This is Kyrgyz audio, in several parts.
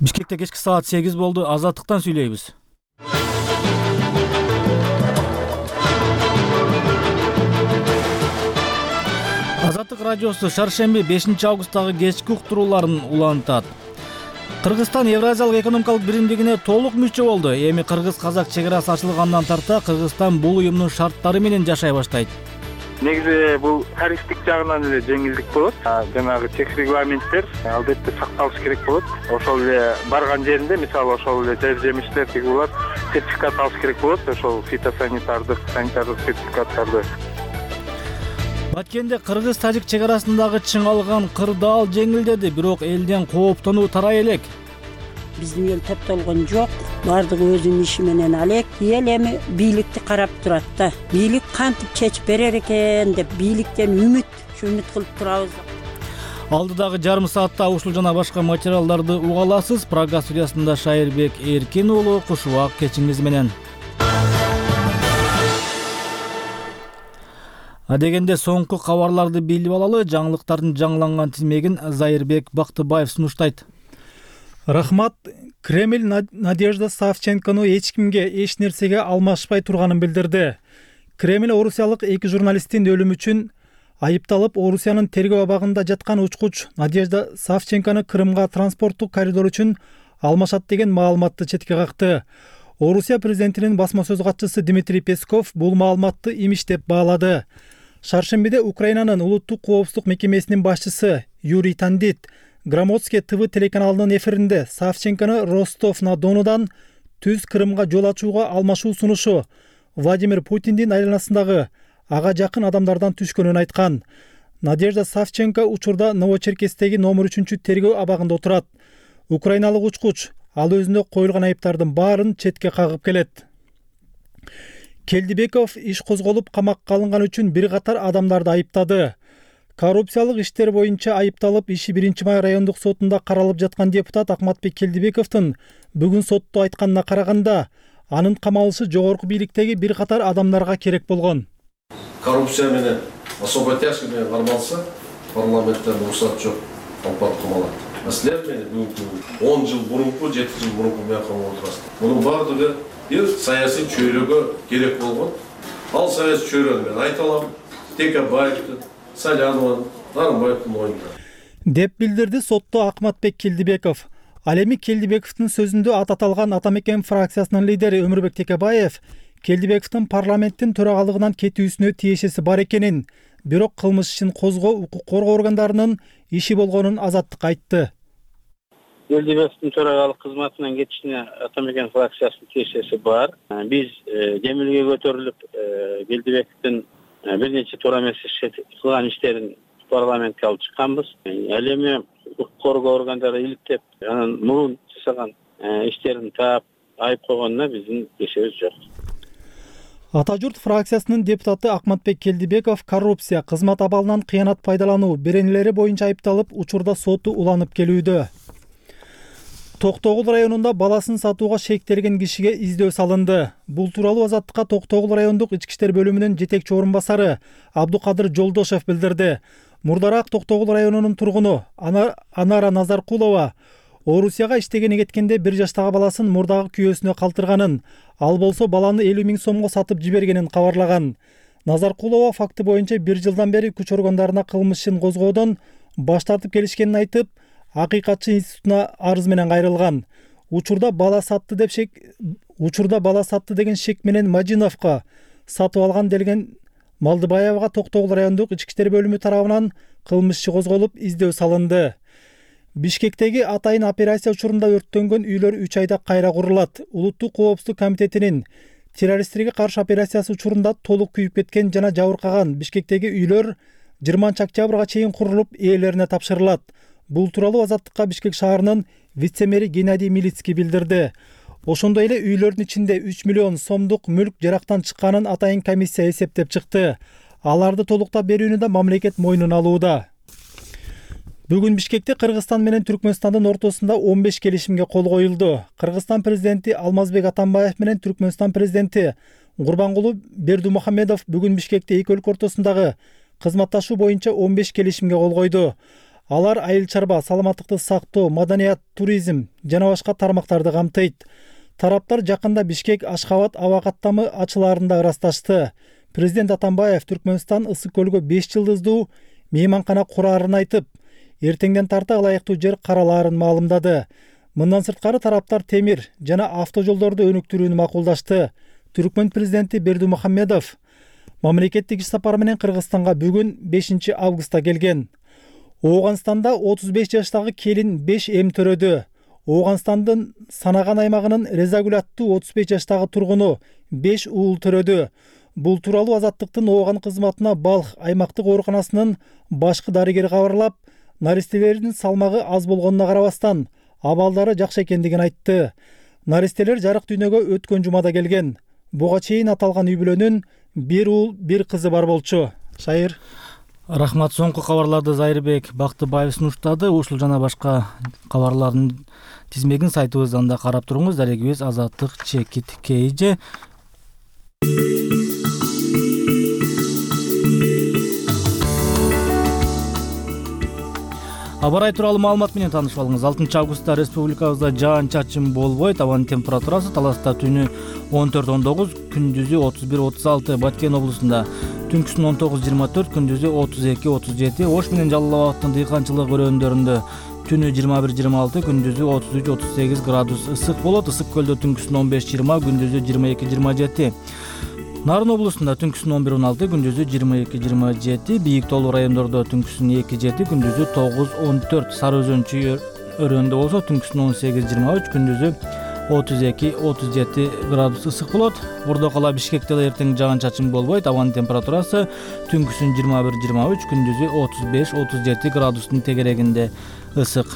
Бишкекте кечки саат 8 болду. Азаттыктан сүйлөйбүз. Азаттык радиосу шаршемби 5 августтагы кечки уктурууларын улантат. Кыргызстан Евразиялык экономикалык биримдигине толук мүчө болду. Эми кыргыз-казак чек арасы ачылгандан тарта Кыргызстан бул уюмдун шарттары менен жашай баштайт. Негизи бул тарифтик жагынан эле жеңилдик болот. Жанагы чек регламенттер албетте сакталыш керек болот. Ошол эле барган жеринде, мисалы ошол эле жемиштер тигулар сертификат алыш керек болот. Ошол фитосанитардык, санитардык сертификаттарды. Баткенде кыргыз-тажик чек арасындагы чыңалган кырдаал жеңилдеди, бирок элден кооптонуу тарай элек. Биздин эл топтолгон жок. Бардыгы өзүнүн иши менен алек. Эл эми бийликти карап турат да. Бийлик кантип чечип берер экен деп бийликтен үмүт кылып турабыз. Алдыдагы жарым саатта ушул жана башка материалдарды уга аласыз. Программа студиясында Шайырбек Эркин уулу, кушубак кечиңиз менен. Адегенде соңку кабарларды билип алалы. Жаңылыктардын жаңыланган тизмегин Зайырбек Бактыбаев сунуштайт. Рахмат. Кремль Надежда Савченкону эч кимге, эч нерсеге алмашпай турганын билдирди. Кремль орусиялык 2 журналисттин өлүмү үчүн айыпталып, Орусиянын тергөө абагында жаткан учкуч Надежда Савченкону Крымга транспорттук коридор үчүн алмашат деген маалыматты четке какты. Орусия президентинин басма сөз катчысы Дмитрий Песков бул маалыматты имиш деп баалады. Шаршембиде Украинанын улуттук коопсуздук мекемесинин башчысы Юрий Тандит Громадский ТВ телеканалынын эфиринде Савченкону Ростов-на-Доnuдан түз Крымга жол ачууга алмашуу сунушу Владимир Путиндин айланасындагы ага жакын адамдардан түшкөнүн айткан. Надежда Савченко учурда Новочеркесстеги номер 3 тергөө абагында отурат. Украиналык учкуч ал өзүнө коюлган айыптардын баарын четке кагып келет. Келдибеков иш козголуп камакка алынган үчүн бир катар адамдарды айыптады. Коррупциялык иштер боюнча айыпталып, иши 1-май райондук сотунда каралып жаткан депутат Акматбек Келдибековдун бүгүн сотто айтканына караганда, анын камалышы жогорку бийликтеги бир катар адамдарга керек болгон. Коррупция менен особо тяжкий менен кармалса, парламенттен уруксат жок, алпат камалат. Силер менен бүгүнкү 10 жыл мурунку, 7 жыл мурунку менен камалып отурасыздар. Мунун баардыгы бир саясий чөйрөгө керек болгон. Ал саясий чөйрөнү мен айта алам. Текебаевдин, Саляновдун, Нарымбаевдин оюнда. Деп билдирди сотто Акматбек Келдибеков. Ал эми Келдибековдун сөзүндө аталган Атамекен фракциясынын лидери Өмүрбек Текебаев Келдибековдун парламенттин төрагалыгынан кетүүсүнө тиешеси бар экенин, бирок кылмыш ишин козгоо укук коргоо органдарынын иши болгонун Азаттыкка айтты. Келдибековдун төрагалык кызматынан кетишине Атамекен фракциясынын тиешеси бар. Биз демилге көтөрүлүп Келдибековдун бир нече туура эмес кылган иштерин парламентке алып чыкканбыз. Ал эми укук коргоо органдары иликтеп, анан мурун жасаган иштерин таап айып койгонуна биздин кешебиз жок. Ата журт фракциясынын депутаты Акматбек Келдибеков коррупция, кызмат абалынан кыянат пайдалануу беренелери боюнча айыпталып, учурда соту уланып келүүдө. Токтогул районунда баласын сатууга шектелген кишиге издөө салынды. Бул тууралуу Азаттыкка Токтогул райондук ички иштер бөлүмүнүн жетекчи орун басары Абдукадыр Жолдошев билдирди. Мурдараак Токтогул районунун тургуну Анара Назаркулова Орусияга иштегени кеткенде 1 жаштагы баласын мурдагы күйөөсүнө калтырганын, ал болсо баланы 50 000 сомго сатып жибергенин кабарлаган. Назаркулова факты боюнча 1 жылдан бери күч органдарына кылмыш ишин козгоодон баш тартып келишкенин айтып, Акыйкатчы институтуна арыз менен кайрылган. Учурда бала сатты деген шек менен Мажиновго сатып алган делген Малдыбаевга Токтогул райондук ички иштер бөлүмү тарабынан кылмыш иши козголуп, издөө салынды. Бишкектеги атайын операция учурунда өрттөнгөн үйлөр 3 айда кайра курулат. Улуттук коопсуздук комитетинин террористтерге каршы операциясы учурунда толук күйүп кеткен жана жабыркаган Бишкектеги үйлөр 20-октябрга чейин курулуп, ээлерине тапшырылат. Бул тууралуу Азаттыкка Бишкек шаарынын вице-мэри Геннадий Милицкий билдирди. Ошондой эле үйлөрдүн ичинде 3 миллион сомдук мүлк жарактан чыкканын атайын комиссия эсептеп чыкты. Аларды толуктап берүүнү да мамлекет мойнуна алууда. Бүгүн Бишкекте Кыргызстан менен Түркмөнстандын ортосунда 15 келишимге кол коюлду. Кыргызстан президенти Алмазбек Атамбаев менен Түркмөнстан президенти Гурбангулу Бердимухамедов бүгүн Бишкекте эки өлкө ортосундагы кызматташуу боюнча 15 келишимге кол койду. Алар айыл чарба, саламаттыкты сактоо, маданият, туризм жана башка тармактарды камтыйт. Тараптар жакында Бишкек Ашхабад аба каттамы ачылаарында ырасташты. Президент Атамбаев Түркмөнстан Ысык көлгө 5 жылдыздуу мейманкана кураарын айтып, эртеңден тарта ылайыктуу жер каралаарын маалымдады. Мындан сырткары тараптар темир жана автожолдорду өнүктүрүүнү макулдашты. Түркмөн президенти Бердимухамедов мамлекеттик иш сапары менен Кыргызстанга бүгүн 5 августта келген. Ооганстанда 35 жаштагы келин 5 эм төрөдү. Ооганстандын Санаган аймагынын Резагүл аттуу 35 жаштагы тургуну 5 уул төрөдү. Бул тууралуу Азаттыктын Ооган кызматына Балх аймактык ооруканасынын башкы дарыгери кабарлап, наристелердин салмагы аз болгонуна карабастан абалдары жакшы экендигин айтты. Наристелер жарык дүйнөгө өткөн жумада келген. Буга чейин аталган үй бүлөнүн 1 уул 1 кызы бар болчу. Шайыр. Рахмат. Соңку кабарларды Зайырбек Бактыбаев сунуштады. Ушул жана башка кабарлардын тизмегин сайтыбыздан да карап туруңуз. Дарегибиз azаттык.kj. Аба ырайы тууралуу маалымат менен таанышып алыңыз. 6 августта республикабызда жаан-чачын болбойт. Абанын температурасы Таласта түнү 14-19, күндүзү 31-36, Баткен облусунда түнкүсүн 19-24, күндүзү 32-37, Ош менен Жалал абаддын дыйканчылык өрөөндөрүндө түнү 21-26, күндүзү 33-38 градус ысык болот. Ысык көлдө түнкүсүн 15-20, күндүзү 22-27. Нарын облусунда түнкүсүн 11-16, күндүзү 22-27, Бийик тоолуу райондордо түнкүсүн 2-7, күндүзү 9-14, Сары Өзөн чүй өрөөндө болсо түнкүсүн 18-23, күндүзү 32-37 градус ысык болот. Бордокала Бишкекте да эртең жаан-чачын болбойт. Абанын температурасы түнкүсүн 21-23, күндүзү 35-37 градустун тегерегинде ысык.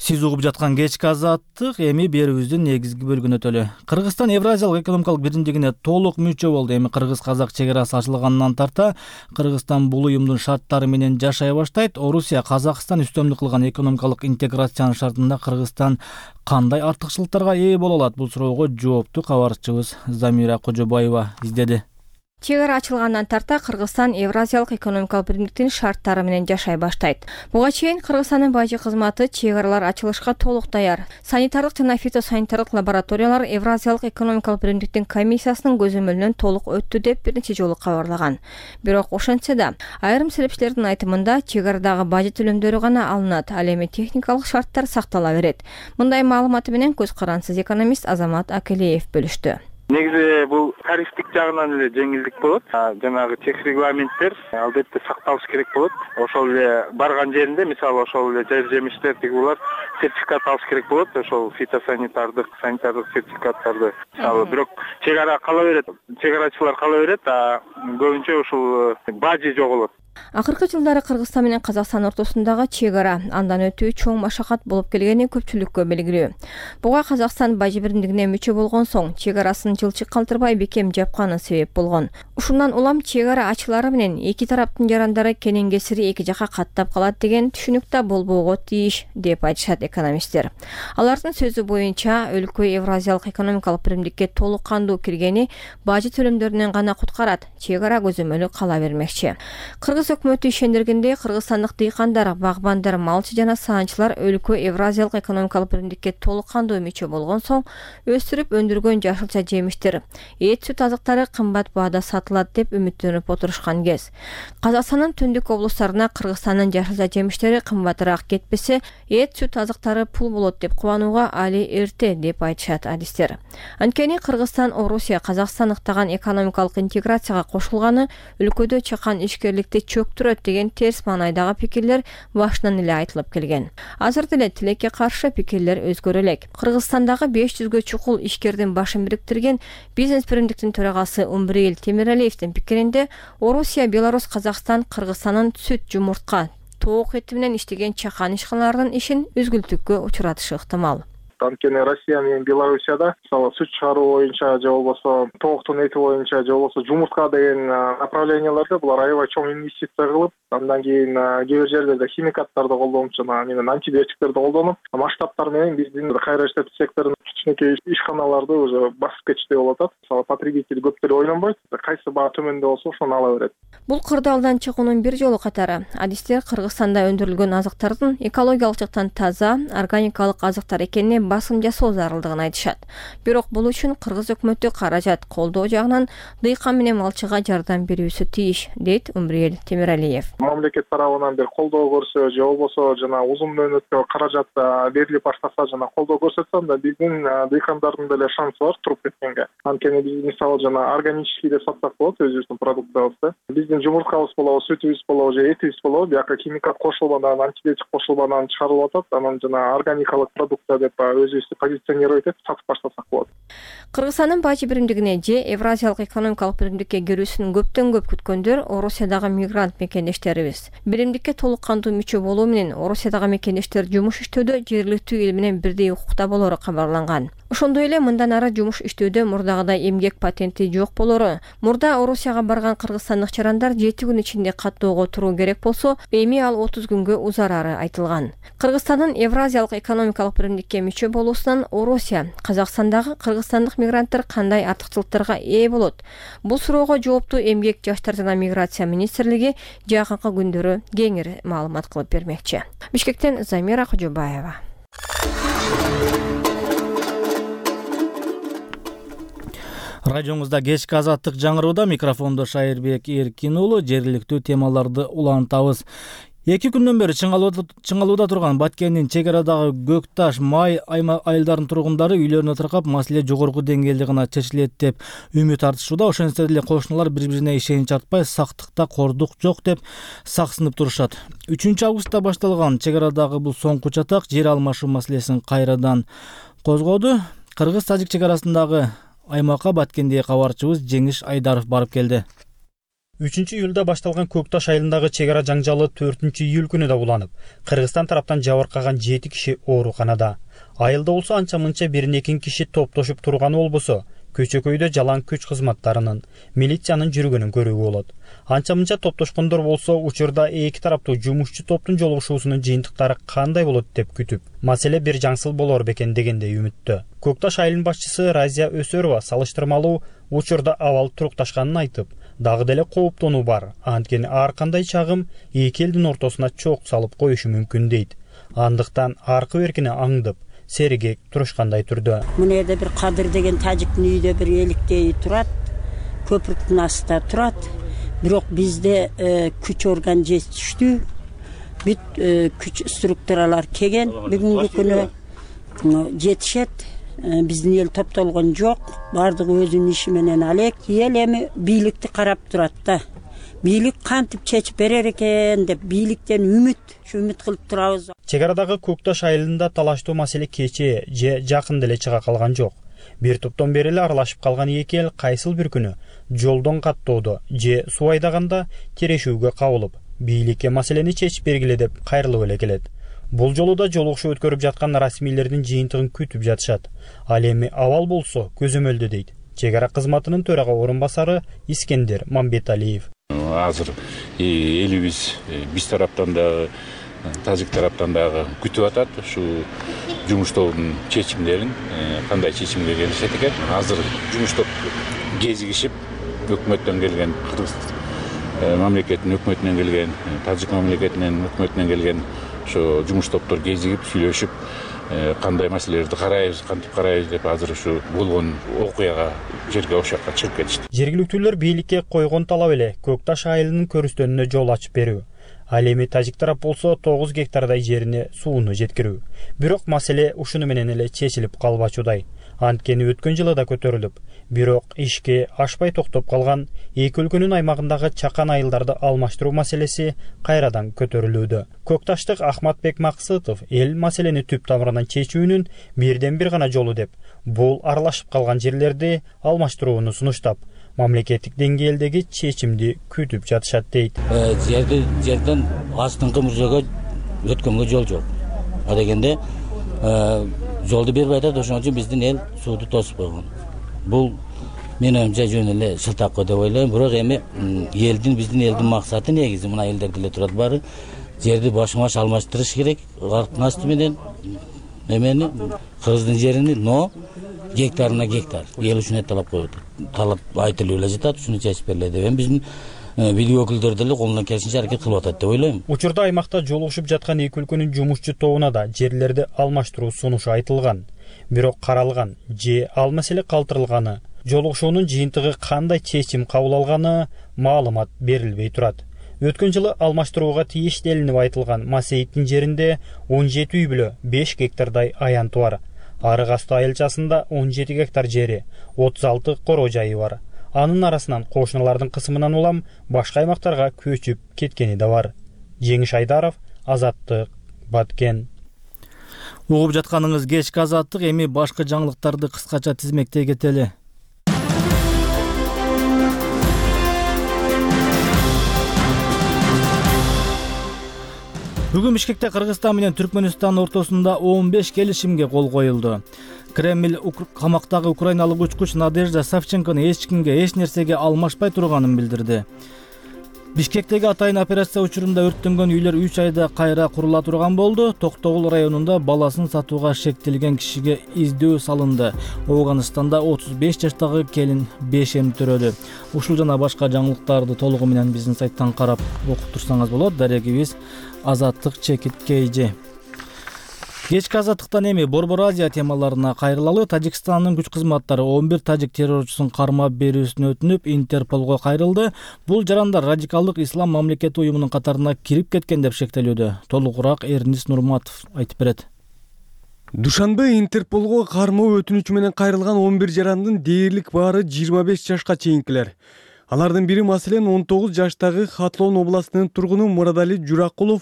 Сиз угуп жаткан кечки Азаттык эми берүүбүздүн негизги бөлүгүнө өтөлү. Кыргызстан Евразиялык экономикалык биримдигине толук мүчө болду. Эми кыргыз-казак чек арасы ачылгандан тарта Кыргызстан бул уюмдун шарттары менен жашай баштайт. Орусия Казакстан үстөмдүк кылган экономикалык интеграциянын шартында Кыргызстан кандай артыкчылыктарга ээ боло алат? Бул суроого жоопту кабарчыбыз Замира Кожобаева издеди. Чек ара ачылгандан тарта Кыргызстан Евразиялык экономикалык биримдиктин шарттары менен жашай баштайт. Буга чейин Кыргызстандын бажы кызматы чек аралар ачылышка толук даяр. Санитардык жана фитосанитардык лабораториялар Евразиялык экономикалык биримдиктин комиссиясынын көзөмөлүнөн толук өттү деп бир нече жолу кабарлаган. Бирок ошентсе да айрым серепчилердин айтымында чек арадагы бажы төлөмдөрү гана алынат, ал эми техникалык шарттар сактала берет. Мындай маалыматы менен көз карансыз экономист Азамат Акелеев бөлүштү. Негизи бул тарифтик жагынан эле жеңилдик болот. Жанагы чек регламенттер албетте сакталышы керек болот. Ошол эле барган жеринде, мисалы ошол эле жер жемиштер тигулар сертификат алыш керек болот. Ошол фитосанитардык, санитардык сертификаттарды. Мисалы бирок чек ара кала берет, чек арачылар кала берет, көбүнчө ушул бажы жоголот. Акыркы жылдары Кыргызстан менен Казакстан ортосундагы чек ара андан өтүү чоң машакат болуп келгени көпчүлүккө белгилүү. Буга Казакстан бажы биримдигине мүчө болгон соң чек арасын жылчык калтырбай бекем жапканы себеп болгон. Ушундан улам чек ара ачылары менен эки тараптын жарандары кенен кесири эки жака каттап калат деген түшүнүк да болбоого тийиш деп айтышат экономисттер. Алардын сөзү боюнча өлкө Евразиялык экономикалык биримдикке толук кандуу киргени бажы төлөмдөрүнөн гана куткарат, чек ара көзөмөлү кала бермекчи. Өкмөтү ишендиргендей Кыргызстандык дыйкандар, багбандар, малчы жана саанчылар өлкө Евразиялык экономикалык биримдикке толук кандуу мүчө болгон соң өстүрүп өндүргөн жашылча жемиштер, эт сүт азыктары кымбат баада сатылат деп үмүттөнүп отурушкан кез. Казакстандын түндүк облустарына Кыргызстандын жашылча жемиштери кымбатыраак кетпесе, эт сүт азыктары пул болот деп кубанууга али эрте деп айтышат адистер. Анткени Кыргызстан Орусия Казакстан ыктаган экономикалык интеграцияга кошулганы өлкөдө чакан ишкерликти чөктүрөт деген терс маанайдагы пикирлер башынан эле айтылып келген. Азыр деле тилекке каршы пикирлер өзгөрө элек. Кыргызстандагы 500гө чукул ишкердин башын бириктирген бизнес биримдиктин төрагасы Умбриил Темиралиевдин пикиринде Орусия, Беларусь, Казакстан Кыргызстандын сүт, жумуртка, тоок эти менен иштеген чакан ишканалардын ишин үзгүлтүккө учуратышы ыктымал. Анткени Россия менен Белоруссияда мисалы сүт чыгаруу боюнча же болбосо тооктун эти боюнча же болбосо жумуртка деген направленияларда булар аябай чоң инвестиция кылып, андан кийин кээ бир жерлерде химикаттарды колдонуп жана менен антибиотиктерди колдонуп, масштабтар менен биздин кайра иштетүү секторунун кичинекей ишканаларды уже басып кетиштей болуп атат. Мисалы потребитель көп деле ойлонбойт, кайсы баа төмөндө болсо ошону ала берет. Бул кырдаалдан чыгуунун бир жолу катары адистер Кыргызстанда өндүрүлгөн азыктардын экологиялык жактан таза, органикалык азыктар экенине басым жасоо зарылдыгын айтышат. Бирок бул үчүн Кыргыз өкмөтү каражат колдоо жагынан дыйкан менен малчыга жардам берүүсү тийиш, дейт Умриел Темиралиев. Мамлекет тарабынан бир колдоо көрсө же болбосо жана узун мөөнөткө каражат берилип баштаса жана колдоо көрсөтсө, анда биздин дыйкандардын деле шансы бар туруп кеткенге. Анткени биз мисалы жана органический деп сатсак болот өзүбүздүн продукциябызды. Биздин жумурткабыз болобу, сүтүбүз болобу же этибиз болобу, бияка химикат кошулбадан, антибиотик кошулбадан чыгарылып атат. Анан жана органикалык продукция деп өзүбүздү позиционировать этип сатып баштасак болот. Кыргызстандын бажы биримдигине же Евразиялык экономикалык биримдикке кирүүсүн көптөн көп күткөндөр Орусиядагы мигрант мекендештерибиз. Биримдикке толук кандуу мүчө болуу менен Орусиядагы мекендештер жумуш иштөөдө жергиликтүү эл менен бирдей укукта болору кабарланган. Ошондой эле мындан ары жумуш иштөөдө мурдагыдай эмгек патенти жок болору. Мурда Орусияга барган кыргызстандык чарандар 7 күн ичинде каттоого туруу керек болсо, эми ал 30 күнгө узарары айтылган. Кыргызстандын Евразиялык экономикалык биримдикке мүчө болуусунан Орусия, Казакстандагы кыргызстандык мигранттар кандай артыкчылыктарга ээ болот? Бул суроого жоопту Эмгек, Жаштар жана миграция министрлиги жакынкы күндөрү кеңири маалымат кылып бермекчи. Бишкектен Замира Кожобаева. Радиоңузда кечки азаттык жаңырууда, микрофондо Шайырбек Эркин уулу. Жергиликтүү темаларды улантабыз. 2 күндөн бери чыңалууда турган Баткендин чек арадагы Көкташ, Май айылдарынын тургундары үйлөрүнө тыркап, маселе жогорку деңгээлде гана чечилет деп үмүт артышууда. Ошентсе деле кошуналар бири-бирине ишенич артпай, сактыкта кордук жок деп саксынып турушат. 3-августта башталган чек арадагы бул соңку чатак жер алмашуу маселесин кайрадан козгоду. Кыргыз-тажик чек арасындагы аймакка Баткенде кабарчыбыз Жеңиш Айдаров барып келди. 3-июлда башталган Көкташ айылындагы чек ара жаңжалы 4-июль күнү да уланып, Кыргызстан тараптан жабыркаган 7 киши ооруканада. Айылда болсо анча-мынча бир-экин киши топтошуп турганы болбосо, көчөкөйдө жалаң күч кызматтарынын, милициянын жүргөнүн көрүүгө болот. Анча-мынча топтошкондор болсо, учурда эки тараптуу жумушчу топтун жолугушуусунун жыйынтыктары кандай болот деп күтүп, маселе бир жаңсыл болор бекен дегендей үмүттө. Көкташ айылынын башчысы Разия Өсөрова салыштырмалуу учурда абал турукташканын айтып, дагы деле кооптонуу бар. Анткени ар кандай чагым эки элдин ортосуна чок салып коюшу мүмкүн дейт. Андыктан аркы беркине аңдып, сергек турушкандай түрдө. Мына жерде бир Кадыр деген тажиктин үйдө бир эликтей турат, көпүрдүн астында турат. Бирок бизде күч орган жетиштүү, бүт күч структуралар келген, бүгүнкү күнү жетишет. Биздин эл топтолгон жок, бардыгы өзүнүн иши менен алек. Эл эми бийликти карап турат да. Бийлик кантип чечип берер экен деп бийликтен үмүт кылып турабыз. Чек арадагы Көкташ айылында талаштуу маселе кечээ же жакын деле чыга калган жок. Бир топтон бери эле аралашып калган эки эл кайсыл бир күнү жолдон каттоодо же суу айдаганда терешүүгө кабылып, бийликке маселени чечип бергиле деп кайрылып эле келет. Бул жолу да жолугушуу өткөрүп жаткан расмийлердин жыйынтыгын күтүп жатышат. Ал эми абал болсо көзөмөлдө дейт чек ара кызматынын төрага орун басары Искендер Мамбеталиев. Азыр элибиз биз тараптан да, тажик тараптан дагы күтүп атат ушу жумуш тобунун чечимдерин, кандай чечимге келишет экен. Азыр жумуш топ кезигишип, өкмөттөн келген, Кыргыз мамлекетинин өкмөтүнөн келген, тажик мамлекетинин өкмөтүнөн келген ошо жумуш топтор кезигип, сүйлөшүп, кандай маселелерди карайбыз, кантип карайбыз деп азыр ушу болгон окуяга жерге ошол жакка чыгып кетишти. Жергиликтүүлөр бийликке койгон талап эле Көкташ айылынын көрүстөнүнө жол ачып берүү. Ал эми тажик тарап болсо 9 гектардай жерине сууну жеткирүү. Бирок маселе ушуну менен эле чечилип калбачудай. Анткени өткөн жылы да көтөрүлүп, бирок ишке ашпай токтоп калган эки өлкөнүн аймагындагы чакан айылдарды алмаштыруу маселеси кайрадан көтөрүлүүдө. Көкташтык Ахматбек Максытов эл маселени түп тамырынан чечүүнүн бирден бир гана жолу деп, бул аралашып калган жерлерди алмаштырууну сунуштап, мамлекеттик деңгээлдеги чечимди күтүп жатышат дейт. Жерден астыңкы муржөгө өткөнгө жол жок. А дегенде жолду бербей атат, ошон үчүн биздин эл сууду тосуп койгон. Бул мен оюмча жөн эле шылтакы деп ойлойм. Бирок эми биздин элдин максаты негизи мына элдер деле турат баары жерди башма-баш алмаштырыш керек. Арктын асты менен эмени кыргыздын жерини, но гектарына гектар эл үчүн талап коюп атат. Талап айтылып эле жатат, ушуну чечип бериле деп. Эми биздин бийлик өкүлдөрү деле колунан келишинче аракет кылып атат деп ойлойм. Учурда аймакта жолугушуп жаткан эки өлкөнүн жумушчу тобуна да жерлерди алмаштыруу сунушу айтылган. Бирок каралган же ал маселе калтырылганы, жолугушуунун жыйынтыгы кандай чечим кабыл алганы маалымат берилбей турат. Өткөн жылы алмаштырууга тиештелинип айтылган Масейиттин жеринде 17 үй бүлө 5 гектардай аянты бар. Арык асты айылчасында 17 гектар жери, 36 короо жайы бар. Анын арасынан кошуналардын кысымынан улам башка аймактарга көчүп кеткени да бар. Жеңиш Айдаров, Азаттык, Баткен. Угуп жатканыңыз кечки Азаттык, эми башка жаңылыктарды кыскача тизмектей кетели. Бүгүн Бишкекте Кыргызстан менен Түркмөнстан ортосунда 15 келишимге кол коюлду. Кремль камактагы украиналык учкуч Надежда Савченкону эч кимге, эч нерсеге алмашпай турганын билдирди. Бишкектеги атайын операция учурунда өрттөнгөн үйлөр 3 айда кайра курула турган болду. Токтогул районунда баласын сатууга шектелген кишиге издөө салынды. Афганистанда 35 жаштагы келин 5 төрөлдү. Ушул жана башка жаңылыктарды толугу менен биздин сайттан карап окуп турсаңыз болот. Дарегибиз Азаттык Чекиткейжи. Кечки Азаттыктан эми Борбор Азия темаларына кайрылалы. Тажикстандын күч кызматтары 11 тажик террорчусун кармап берүүсүн өтүнүп, Интерполго кайрылды. Бул жарандар радикалдык ислам мамлекети уюмунун катарына кирип кеткен деп шектелүүдө. Толугураак Эрнис Нурматов айтып берет. Душанбе Интерполго кармоо өтүнүчү менен кайрылган 11 жарандын дээрлик баары 25 жашка чейинкилер. Алардын бири маселен 19 жаштагы Хатлон областынын тургуну Мурадали Журакулов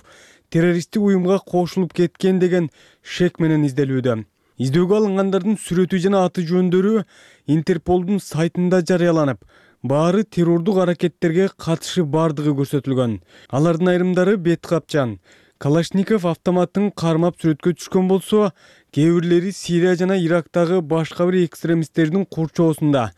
террористтик уюмга кошулуп кеткен деген шек менен изделүүдө. Издөөгө алынгандардын сүрөтү жана аты жөндөрү Интерполдун сайтында жарыяланып, баары террордук аракеттерге катышы бардыгы көрсөтүлгөн. Алардын айрымдары бет капчан, Калашников автоматтын кармап сүрөткө түшкөн болсо, кээ бирлери Сирия жана Ирактагы башка бир экстремисттердин курчоосунда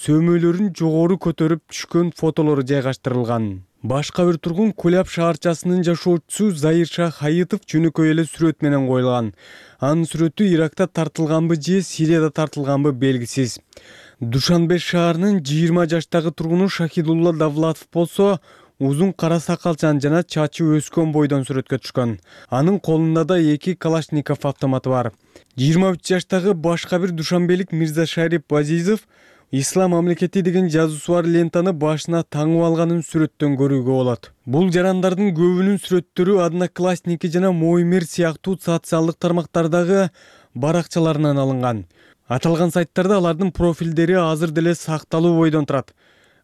сөмөйлөрүн жогору көтөрүп түшкөн фотолору жайгаштырылган. Башка бир тургун Куляб шаарчасынын жашоочусу Заирша Хаитов жөнөкөй эле сүрөт менен коюлган. Анын сүрөтү Иракта тартылганбы же Сирияда тартылганбы белгисиз. Душанбе шаарынын 20 жаштагы тургуну Шахидулла Давлатов болсо, узун кара сакалчан жана чачы өскөн бойдон сүрөткө түшкөн. Анын колунда да 2 Калашников автоматы бар. 23 жаштагы башка бир душанбелик Мирза Шарип Азизов Ислам мамлекети деген жазуусу бар лентаны башына таңып алганын сүрөттөн көрүүгө болот. Бул жарандардын көбүнүн сүрөттөрү Одноклассники жана Моймер сыяктуу социалдык тармактардагы баракчаларынан алынган. Аталган сайттарда алардын профилдери азыр деле сакталуу бойдон турат.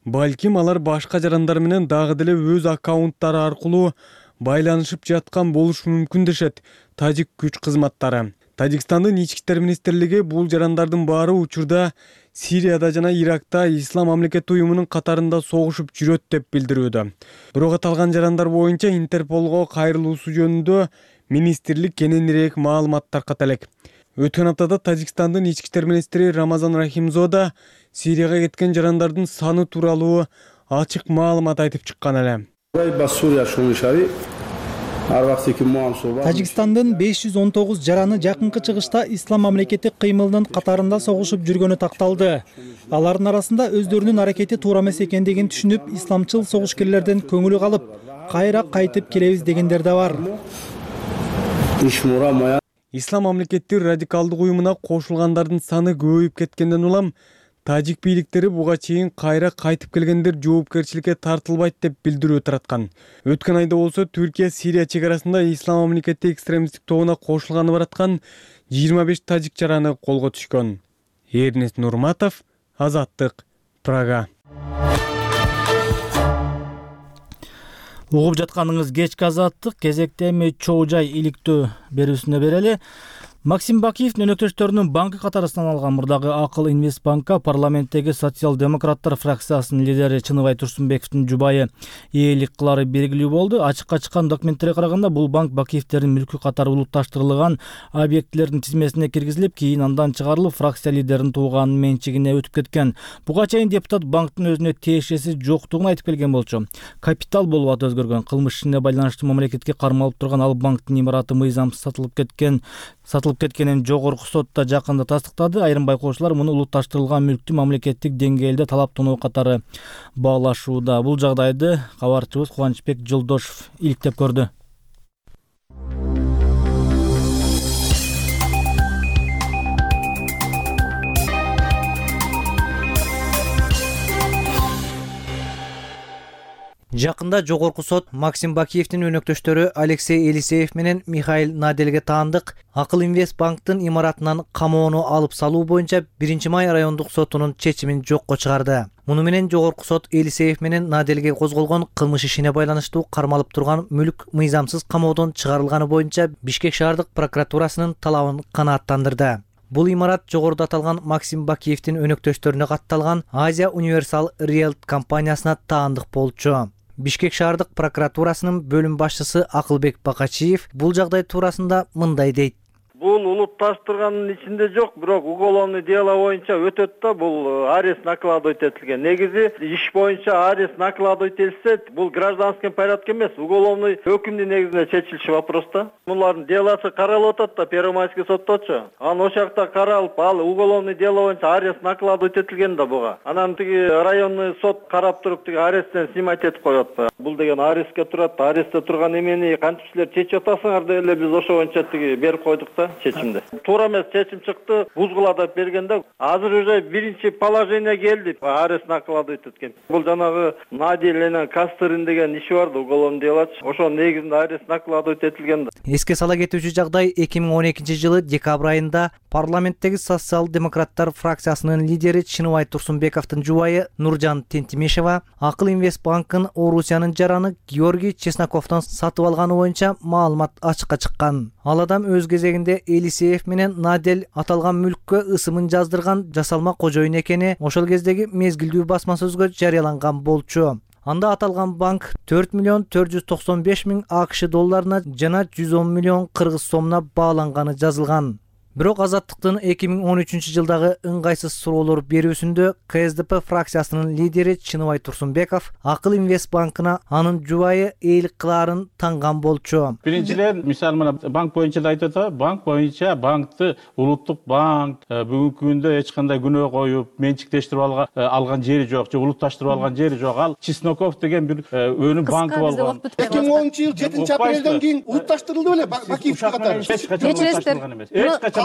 Балким алар башка жарандар менен дагы деле өз аккаунттары аркылуу байланышып жаткан болушу мүмкүн дешет тажик күч кызматтары. Тажикстандын ички иштер министрлиги бул жарандардын баары учурда Сирияда жана Иракта Ислам мамлекети уюмунун катарында согушуп жүрөт деп билдирүүдө. Бирок аталган жарандар боюнча Интерполго кайрылуусу жөнүндө министрлик кененирээк маалымат тарката элек. Өткөн аптада Тажикстандын ички иштер министри Рамазан Рахимзода Сирияга кеткен жарандардын саны тууралуу ачык маалымат айтып чыккан эле. Тажикстандын 519 жараны жакынкы чыгышта Ислам мамлекети кыймылынын катарында согушуп жүргөнү такталды. Алардын арасында өздөрүнүн аракети туура эмес экендигин түшүнүп, исламчыл согушкерлерден көңүлү калып, кайра кайтып келебиз дегендер да бар. Ислам мамлекети радикалдык уюмуна кошулгандардын саны көбөйүп кеткенден улам тажик бийликтери буга чейин кайра кайтып келгендер жоопкерчиликке тартылбайт деп билдирүү тараткан. Өткөн айда болсо Түркия Сирия чек арасында Ислам мамлекети экстремисттик тобуна кошулганы бараткан 25 тажик жараны колго түшкөн. Эрнис Нурматов, Азаттык, Прага. Угуп жатканыңыз кечки Азаттык, кезекте эми чоо жай иликтөө берүүсүнө берели. Максим Бакиевдин өнөктөштөрүнүн банкы катары саналган мурдагы Акыл Инвест банкка парламенттеги социал-демократтар фракциясынын лидери Чыныбай Турсунбековдун жубайы ээлик кылары белгилүү болду. Ачыкка чыккан документтерге караганда бул банк Бакиевдердин мүлкү катары улутташтырылган объектилердин тизмесине киргизилип, кийин андан чыгарылып, фракция лидеринин тууганынын менчигине өтүп кеткен. Буга чейин депутат банктын өзүнө тиешеси жоктугун айтып келген болчу. Капитал болуп аты өзгөргөн, кылмыш ишине байланыштуу мамлекетке кармалып турган ал банктын имараты мыйзамсыз сатылып кеткенин жогорку сотто жакында тастыктады. Айрым байкоочулар муну улутташтырылган мүлктү мамлекеттик деңгээлде талаптануу катары баалашууда. Бул жагдайды кабарчыбыз Кубанычбек Жолдошов иликтеп көрдү. Жакында жогорку сот Максим Бакиевдин өнөктөштөрү Алексей Елисеев менен Михаил Наделге таандык Акыл Инвест банктын имаратынан камоону алып салуу боюнча 1-май райондук сотунун чечимин жокко чыгарды. Муну менен жогорку сот Елисеев менен Наделге козголгон кылмыш ишине байланыштуу кармалып турган мүлк мыйзамсыз камоодон чыгарылганы боюнча Бишкек шаардык прокуратурасынын талабын канааттандырды. Бул имарат жогоруда аталган Максим Бакиевдин өнөктөштөрүнө катталган Азия Универсал Риэлт компаниясына таандык болчу. Бишкек шаардык прокуратурасынын бөлүм башчысы Акылбек Бакачиев бул жагдай туурасында мындай дейт. Бул улутташтырганын ичинде жок, бирок уголовный дело боюнча өтөт да, бул арест накладывать этилген. Негизи иш боюнча арест накладывать этилсе, бул гражданский порядок эмес, уголовный өкүмдүн негизинде чечилиши вопрос да. Булардын делосы каралып атат да, Первомайский сотточу. Анан ошол жакта каралып, ал уголовный дело боюнча арест накладывать этилген да буга. Анан тиги районный сот карап туруп тиги аресттен снимать этип коет. Бул деген арестке турат, арестте турган эмени кантип силер чечип атасыңар деп эле биз ошо боюнча тиги берип койдук да. Чечимде. Туура эмес чечим чыкты, бузгула деп бергенде азыр уже биринчи положение келди. Арест накладывать эткен. Бул жанагы Надель менен Кастырин деген иши бар да, уголовный дело. Ошо негизинде арест накладывать этилген да. Эске сала кетүүчү жагдай 2012-жылы декабрь айында парламенттеги социал-демократтар фракциясынын лидери Чыныбай Турсунбековдун жубайы Нуржан Тентимешева Акыл Инвест банкын Орусиянын жараны Георгий Чесноковдон сатып алганы боюнча маалымат ачыкка чыккан. Ал адам өз кезегинде Елисеев менен Надель аталган мүлккө ысымын жаздырган жасалма кожоюн экени ошол кездеги мезгилдүү басма сөзгө жарыяланган болчу. Анда аталган банк 4.495.000 АКШ долларына жана 110 миллион кыргыз сомуна бааланганы жазылган. Бирок Азаттыктын 2013-жылдагы ыңгайсыз суроолор берүүсүндө КСДП фракциясынын лидери Чыныбай Турсунбеков Акыл Инвест банкына анын жубайы ээлик кылаарын танган болчу. Биринчиден, мисалы мына банк боюнча да айтып атат, банк боюнча банкты улуттук банк бүгүнкү күндө эч кандай күнөө коюп, менчиктештирип алган жери жок, же улутташтырып алган жери жок. Ал Чесноков деген бир өнүм банкы болгон. 2010-жыл 7-апрелден кийин улутташтырылды беле Бакиев катары.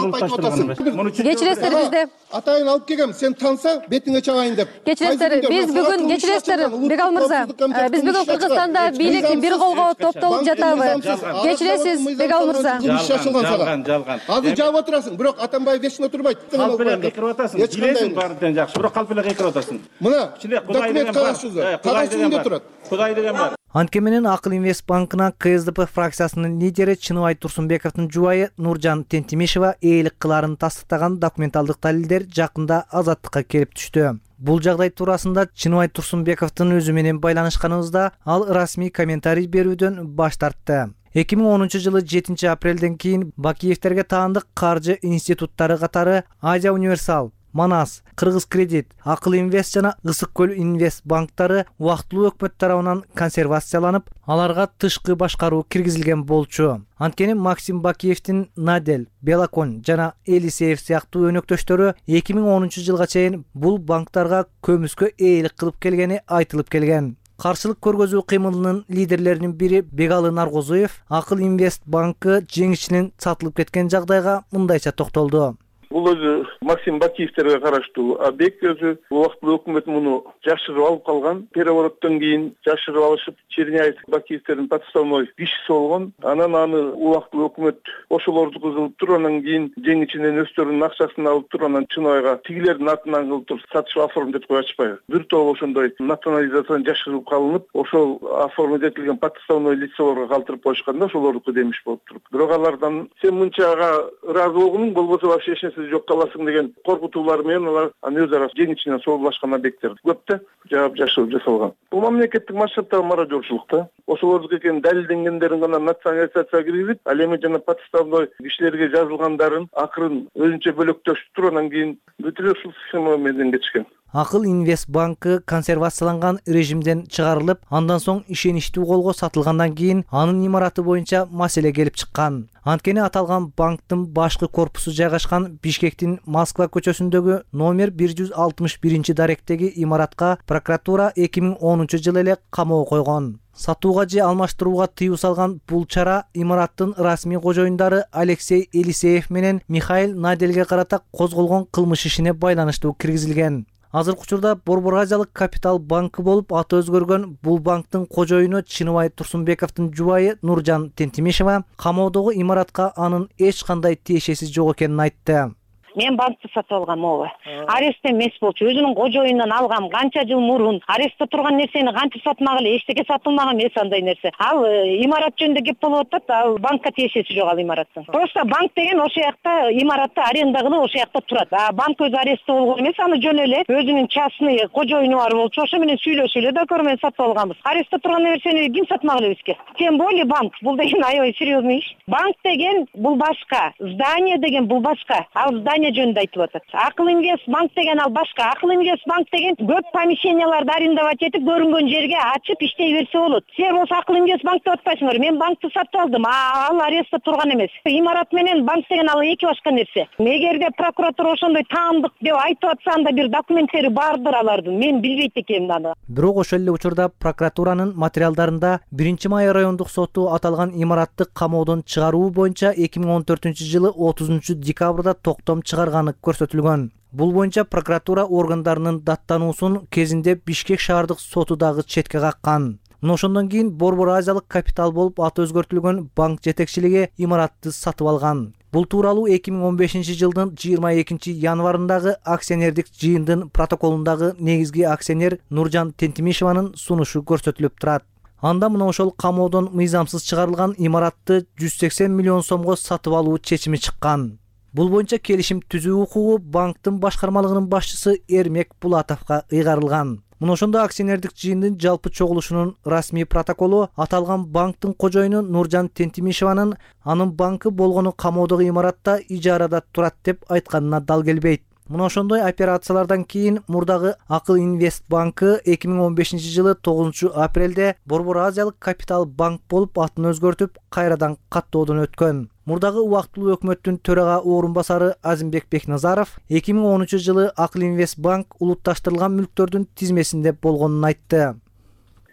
Кечиресиздер бизде. Атайын алып келгем, сен тансаң бетиңе чабайын деп. Кечиресиздер, биз бүгүн кечиресиздер, Бегал мырза. Биз бүгүн Кыргызстанда бийлик бир колго топтолуп жатабы. Кечиресиз, Бегал мырза. Жалган. Азыр жаап отурасың, бирок Атамбаев вечно турбайт. Калп эле кыйкырып атасың. Билесиң баардыгынан жакшы, бирок калп эле кыйкырып атасың. Мына документ кагазында турат. Кудай деген бар. Анткени менен Акыл Инвест банкына КСДП фракциясынын лидери Чыныбай Турсунбековдун жубайы Нуржан Тентимешева ээлик кылаарын тастыктаган документалдык далилдер жакында Азаттыкка келип түштү. Бул жагдай туурасында Чыныбай Турсунбековдун өзү менен байланышканыбызда ал расмий комментарий берүүдөн баш тартты. 2010-жылы 7-апрелден кийин Бакиевтерге таандык каржы институттары катары Азия Универсал, Манас, Кыргыз Кредит, Акыл Инвест жана Ысык Көл Инвест банктары убактылуу өкмөт тарабынан консервацияланып, аларга тышкы башкаруу киргизилген болчу. Анткени Максим Бакиевдин Надель, Белакон жана Елисеев сыяктуу өнөктөштөрү 2010-жылга чейин бул банктарга көмүскө ээлик кылып келгени айтылып келген. Каршылык көргөзүү кыймылынын лидерлеринин бири Бегалы Наргозуев Акыл Инвест банкы жеңишинин сатылып кеткен жагдайга мындайча токтолду. Бул өзү Максим Бакиевтерге караштуу объект өзү. Убактылуу өкмөт муну жашырып алып калган. Перевороттон кийин жашырып алышып, Черняев Бакиевтердин подставной кишиси болгон. Анан аны убактылуу өкмөт ошолорду кылып туруп, анан кийин жең ичинен өздөрүнүн акчасын алып туруп, анан Чынайга тигилердин атынан кылып туруп сатыш оформить этип ачпайбы. Бир топ ошондой национализациядан жашырып калынып, ошол оформить этилген подставной лицолорго калтырып коюшканда ошолордуку демиш болуп туруп. Бирок алардан сен мынчага ыраазы болгонуң, болбосо вообще эч нерсе жок каласың деген коркутуулар менен алар аны өз ара жең ичинен соолашкан объекттер көп да жаап жашырып жасалган. Бул мамлекеттик масштабтагы мародёрчулук да. Ошолордуку экенин далилденгендерин гана национализацияга киргизип, ал эми жана подставной кишилерге жазылгандарын акырын өзүнчө бөлөктөшүп туруп, анан кийин бүт эле ушул схема менен кетишкен. Акыл Инвест банкы консервацияланган режимден чыгарылып, андан соң ишеничтүү колго сатылгандан кийин анын имараты боюнча маселе келип чыккан. Анткени аталган банктын башкы корпусу жайгашкан Бишкектин Москва көчөсүндөгү номер 161 даректеги имаратка прокуратура 2010 эле камоого койгон. Сатууга же алмаштырууга тыюу салган бул чара имараттын расмий кожоюндары Алексей Елисеев менен Михаил Наделге карата козголгон кылмыш ишине байланыштуу киргизилген. Азыркы учурда Борбор Азиялык Капитал банкы болуп аты өзгөргөн бул банктын кожоюну Чыныбай Турсунбековдун жубайы Нуржан Тентимишева камоодогу имаратка анын эч кандай тиешеси жок экенин айтты. Мен банкты сатып алгам, ооба. Арестте эмес болчу. Өзүнүн кожоюнунан алгам, канча жыл мурун. Арестте турган нерсени кантип сатмак эле, эчтеке сатылмаган эмес андай нерсе. Ал имарат жөнүндө кеп болуп атат, ал банкка тиешеси жок ал имараттын. Просто банк деген ошол жакта имаратты аренда кылып ошол жакта турат. А банк өзү арестте болгон эмес, аны жөн эле өзүнүн частный кожоюну бар болчу. Ошо менен сүйлөшүп эле договор менен сатып алганбыз. Арестте турган нерсени ким сатмак эле бизге? Тем более банк. Бул деген аябай серьезный иш. Банк деген бул башка, здание деген бул башка. Ал здание жөнүндө айтып атат. Акыл Инвест банк деген ал башка. Акыл Инвест банк деген көп помещенияларды арендовать этип, көрүнгөн жерге ачып иштей берсе болот. Сен болсо Акыл Инвест банк деп атпайсыңар. Мен банкты сатып алдым. Ал арестте турган эмес. Имарат менен банк деген ал эки башка нерсе. Эгерде прокуратура ошондой таандык деп айтып атса, анда бир документтери бардыр алардын. Мен билбейт экенмин аны. Бирок ошол эле учурда прокуратуранын материалдарында 1-май райондук соту аталган имаратты камоодон чыгаруу боюнча 2014-жылы 30 декабрда токтом чыгарганы көрсөтүлгөн. Бул боюнча прокуратура органдарынын даттануусун кезинде Бишкек шаардык соту дагы четке каккан. Мына ошондон кийин Борбор Азиялык Капитал болуп аты өзгөртүлгөн банк жетекчилиги имаратты сатып алган. Бул тууралуу 2015-жылдын 22 январындагы акционердик жыйындын протоколундагы негизги акционер Нуржан Тентимишеванын сунушу көрсөтүлүп турат. Анда мына ошол камоодон мыйзамсыз чыгарылган имаратты 180 миллион сомго сатып алуу чечими чыккан. Бул боюнча келишим түзүү укугу банктын башкармалыгынын башчысы Эрмек Булатовго ыйгарылган. Мына ошондо акционердик жыйындын жалпы чогулушунун расмий протоколу аталган банктын кожоюну Нуржан Тентимишеванын анын банкы болгону камоодогу имаратта ижарада турат деп айтканына дал келбейт. Мына ошондой операциялардан кийин мурдагы Акыл Инвест банкы 2015-жылы 9 апрелде Борбор Азиялык Капитал банк болуп атын өзгөртүп, кайрадан каттоодон өткөн. Мурдагы убактылуу өкмөттүн төрага орун басары Азимбек Бекназаров 2013-жылы Акыл Инвест банк улутташтырылган мүлктөрдүн тизмесинде болгонун айтты.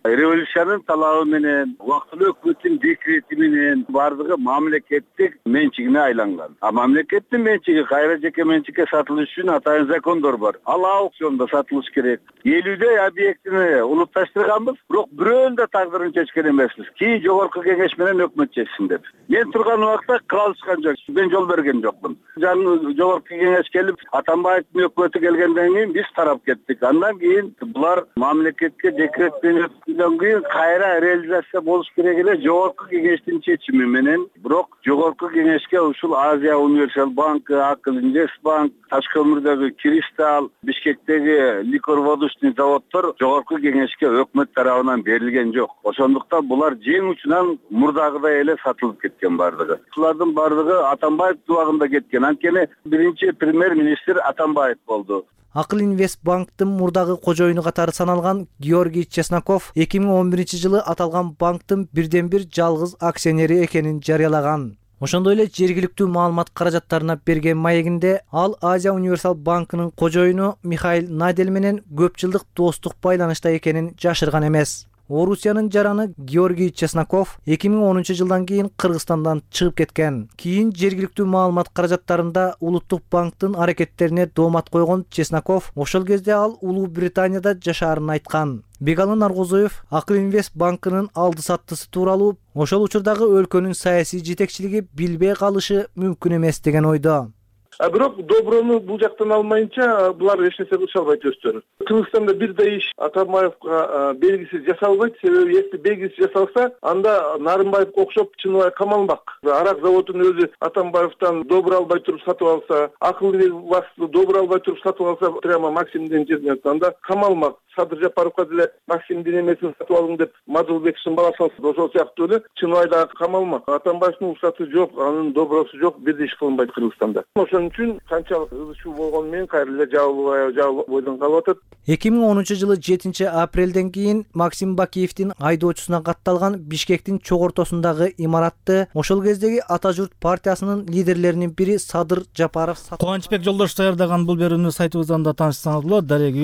Революциянын талабы менен, убактылуу өкмөттүн декрети менен бардыгы мамлекеттик менчигине айланган. А мамлекеттин менчиги кайра жеке менчикке сатылыш үчүн атайын закондор бар. Ал аукциондо сатылыш керек. 50 объектини улутташтырганбыз, бирок бирөөнүн да тагдырын чечкен эмеспиз. Кийин жогорку кеңеш менен өкмөт чечсин деп. Мен турган убакта калышкан жок. Мен жол берген жокмун. Жогорку кеңеш келип, Атамбаевдин өкмөтү келгенден кийин биз тарап кеттик. Андан кийин булар мамлекетке декрет менен кийин кайра реализация болуш керек эле жогорку кеңештин чечими менен. Бирок жогорку кеңешке ушул Азия Универсал банкы, Акыл Инвест банк, Ташкөмүрдөгү Кристалл, Бишкектеги ликор-водочный заводдор жогорку кеңешке өкмөт тарабынан берилген жок. Ошондуктан булар жең учунан мурдагыдай эле сатылып кеткен бардыгы. Булардын бардыгы Атамбаев убагында кеткен. Анткени биринчи премьер-министр Атамбаев болду. Акыл Инвест банктын мурдагы кожоюну катары саналган Георгий Чесноков 2011-жылы аталган банктын бирден бир жалгыз акционери экенин жарыялаган. Ошондой эле жергиликтүү маалымат каражаттарына берген маегинде ал Азия Универсал банкынын кожоюну Михаил Надель менен көп жылдык достук байланышта экенин жашырган эмес. Орусиянын жараны Георгий Чесноков 2010-жылдан кийин Кыргызстандан чыгып кеткен. Кийин жергиликтүү маалымат каражаттарында Улуттук банктын аракеттерине доомат койгон Чесноков ошол кезде ал Улуу Британияда жашаарын айткан. Бегалы Наргозоев Акыл Инвест банкынын алды саттысы тууралуу ошол учурдагы өлкөнүн саясий жетекчилиги билбей калышы мүмкүн эмес деген ойдо. Бирок доброну бул жактан алмайынча булар эч нерсе кылыша албайт өздөрү. Кыргызстанда бирдей иш Атамбаевга белгисиз жасалбайт. Себеби если белгисиз жасалса, анда Нарымбаевге окшоп Чыныбай камалмак. Арак заводун өзү Атамбаевтан добур албай туруп сатып алса, Акыл Инвестти добур албай туруп сатып алса, прямо Максимдин жерине анда камалмак. Садыр Жапаровго деле Максимдин эмесин сатып алдым деп Мадылбековдун баласы ошол сыяктуу эле Чыныбай дагы камалмак. Атамбаевдин уруксаты жок, анын добросу жок, бирдей иш кылынбайт Кыргызстанда. Ошон үчүн канчалык ызычуу болгону менен кайра эле жабылып бойдон калып атат. 2010-жылы 7-апрелден кийин Максим Бакиевдин айдоочусуна катталган Бишкектин чок ортосундагы имаратты ошол кездеги Ата журт партиясынын лидерлеринин бири Садыр Жапаров Кубанычбек Жолдош даярдаган бул берүүнү сайтыбыздан да таанышсаңыз болот. Дарек